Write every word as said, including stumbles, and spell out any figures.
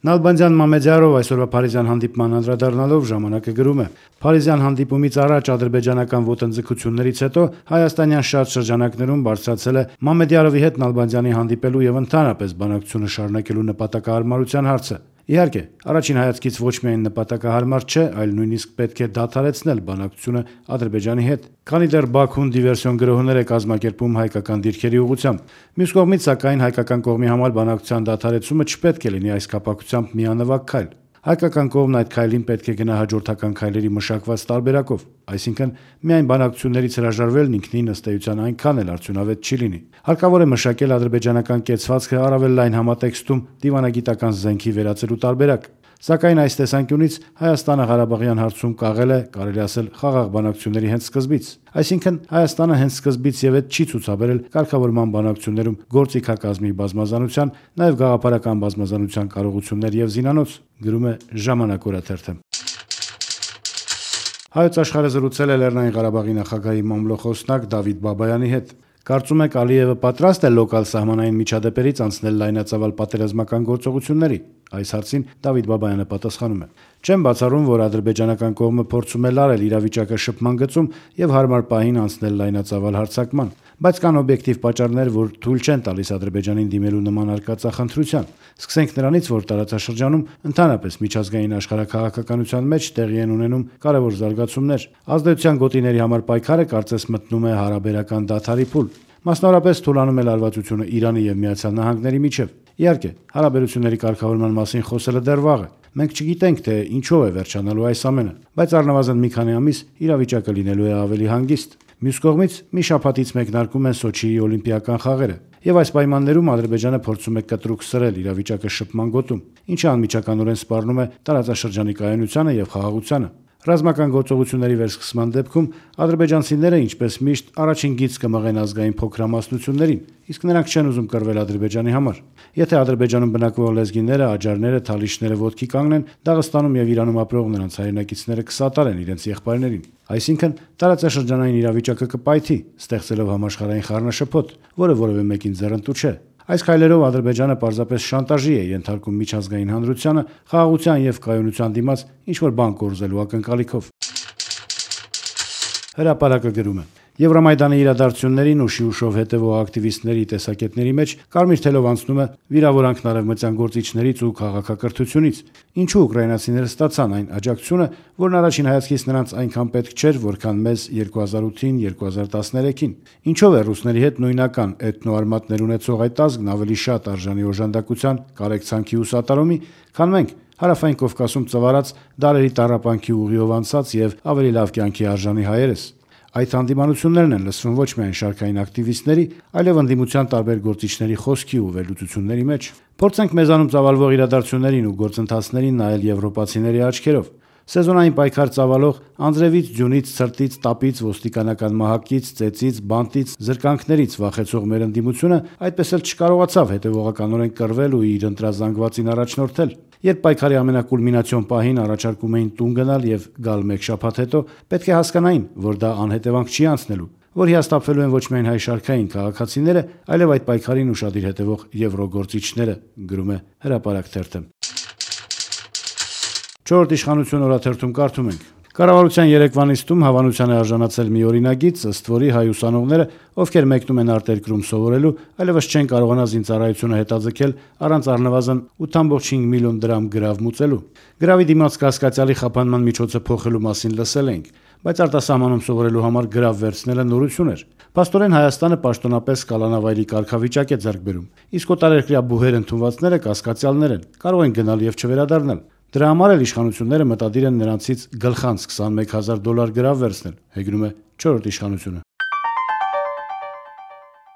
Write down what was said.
Նալբանդյան Մամեդյարով այսօրվա փարիզյան հանդիպման անդրադառնալով ժամանակը գրում է. Փարիզյան հանդիպումից առաջ ադրբեջանական ոտնձգություններից հետո հայաստանյան շատ շրջանակներում բարձրացել է Մամեդյարովի հետ Նալբանդյանի հանդիպելու եւ ընդհանրապես բանակցությունը շարունակելու նպատակահարմարության հարցը։ Իհարկե, առաջին հայացքից ոչ միայն նպատակահարմար չէ, այլ նույնիսկ պետք է դադարեցնել բանակցությունը Ադրբեջանի հետ, քանի դեռ Բաքուն դիվերսիոն գրոհներ է կազմակերպում հայկական դիրքերի ուղղությամբ։ Մյուս կողմից, սակայն, հայկական կողմի համար բանակցության դադարեցումը չպետք է լինի այս կապակցությամբ միանվագ քայլ։ Հայկական կողմն այդ քայլին պետք է գնա հաջորդական քայլերի մշակված տարբերակով, այսինքն միայն բանակցություններից հրաժարվելն ինքնին ըստ էության այնքան էլ արդյունավետ չի լինի։ Հարկավոր է մշակել ադրբեջանական կեցվածքը առավել լայն համատեքստում դիվանագիտական զենքի վերածելու տարբերակ։ Սակայն այս տեսանկյունից Հայաստանը Ղարաբաղյան հարցում կաղել է, կարելի ասել, խաղաղ բանակցությունների հենց սկզբից։ Այսինքն Հայաստանը հենց սկզբից եւ այդ չի ցուցաբերել կարգավորման բանակցություններում գործիքակազմի բազմազանության, նաեւ գաղափարական բազմազանության կարողություններ եւ զինանոց, գրում է Ժամանակ օրաթերթը։ Հայոց աշխարհը զրուցել է Լեռնային Ղարաբաղի նախագահի մամլոխոսնակ Դավիթ Բաբայանի հետ։ Կարծում եք Ալիևը պատրաստ է լոկալ սահմանային միջադեպերից անցնել լայնածավալ պատերազմական գործողությունների։ Այս հարցին Դավիթ Բաբայանը պատասխանում է. Չեմ բացառում, որ ադրբեջանական կողմը փորձում է լարել իրավիճակը շփման գծում եւ հարմար պահին անցնել լայնածավալ հարձակման, բայց կան օբյեկտիվ պատճառներ, որ թույլ չեն տալիս Ադրբեջանին դիմելու նման արկածախնդրության։ Սկսենք նրանից, որ տարածաշրջանում ընդհանրապես միջազգային աշխարհաքաղաքականության մեջ տեղի են ունենում կարևոր զարգացումներ։ Ազդեցության գոտիների համար պայքարը կարծես մտնում է հարաբերական դադարի փուլ։ Մասնավորապես թուլանում է լարվածությունը Իրանի եւ Միացյալ Նահանգների միջև։ Իհարկե, հարաբերությունների կարգավորման մասին խոսելը դեռ վաղ է։ Մենք չգիտենք, թե ինչով է վերջանալու այս ամենը, բայց առնվազն մի քանի ամիս իրավիճակը լինելու է ավելի հանգիստ։ Մյուս կողմից, մի շաբաթից մեկնարկում են Սոչիի օլիմպիական խաղերը, եւ այս պայմաններում Ադրբեջանը փորձում է կտրուկ սրել իրավիճակը շփման գոտում, ինչը անմիջականորեն սպառնում է տարածաշրջանի կայունությանը եւ խաղաղությանը։ Ռազմական գործողությունների վերսկսման դեպքում ադրբեջանցիները, ինչպես միշտ, առաջին գիծ կմղեն ազգային փոքրամասնություններին, իսկ նրանք չեն ուզում կռվել Ադրբեջանի համար։ Եթե Ադրբեջանում բնակվող լեզգիները, աջարները, թալիշները ոտքի կանգնեն, Դաղստանում եւ Իրանում ապրող նրանց հայրենակիցները կսատարեն իրենց եղբայրներին։ Այսինքն, տարածաշրջանային իրավիճակը կպայթի, ստեղծելով համաշխարհային խառնաշփոթ, որը որևէ մեկին ձեռնտու չէ։ Այս քայլերով Ադրբեջանը պարզապես շանտաժի է ենթարկում միջազգային հանրությանը խաղաղության եւ կայունության դիմաց ինչ-որ բան կորզելու ակնկալիքով։ Հրապարակը գրում է. Եվրամայդանի իրադարձություններին ու շիուշով հետևող ակտիվիստների տեսակետների մեջ կարմիր թելով անցնում է վիրավորանքն արևմտյան գործիչներից ու քաղաքակրթությունից։ Ինչու ուկրաինացիները ստացան այն աջակցությունը, որն առաջին հայացքից նրանց այնքան պետք չէր, որքան մեզ երկու հազար ութին երկու հազար տասներեքին։ Ինչով է ռուսների հետ նույնական էթնոարմատներ ունեցող այդ ազգն ավելի շատ արժանի օժանդակության, կարեկցանքի ու սատարումի, քան մենք, Հարավային Կովկասում ծվարած դարերի տառապանքի ուղիով անցած եւ ավելի լավ կյանքի արժանի հայերս։ Այդ հանդիմանություններն են լսվում ոչ միայն շարքային ակտիվիստների, այլև ընդդիմության տարբեր գործիչների խոսքի ու վերլուծությունների մեջ։ Փորձենք մեզանում ծավալվող իրադարձություններին ու գործընթացներին նայել եվրոպացիների աչքերով։ Սեզոնային պայքար ծավալող անձրևից, ձյունից, ցրտից, տապից, ոստիկանական մահակից, ծեծից, բանտից, զրկանքներից վախեցող մեր ընդդիմությունը այդպես էլ չկարողացավ հետևողականորեն կռվել ու իր ընտրազանգվածին առաջնորդել։ Երբ պայքարի ամենակուլմինացիոն պահին առաջարկում էին տուն գնալ եւ գալ մեկ շաբաթ հետո, պետք է հասկանային, որ դա անհետևանք չի անցնելու, որ հիասթափվելու են ոչ միայն հայ շարքային քաղաքացիները, այլև այդ պայքարին ուշադիր հետևող եվրոգործիչները, գրում է Հրապարակ թերթը։ Չորրորդ իշխանություն օրաթերթում կարդում ենք. Կառավարության երեկվա նիստում հավանության է արժանացել մի օրինագիծ, ըստ որի հայ ուսանողները, ովքեր մեկնում են արտերկրում սովորելու, այլևս չեն կարողանա զինծառայությունը հետաձգել առանց առնվազն ութ կόμμα չորս միլիոն դրամ գրավ մուծելու։ Գրավի դիմաց կասկածյալի խափանման միջոցը փոխելու մասին լսել ենք, բայց արտասահմանում սովորելու համար գրավ վերցնելը նորություն էր։ Փաստորեն Հայաստանը պաշտոնապես կալանավայրի կարգավիճակ է ձեռք բերում, իսկ օտարերկրյա բուհեր ընդունվածները կասկածյալներ են, կարող են գնալ եւ չվերադառնալ։ Դրա համար էլ իշխանությունները մտադիր են նրանցից գլխանց քսանմեկ հազար դոլար գրավ վերցնել, հեգնում է չորրորդ իշխանությունը։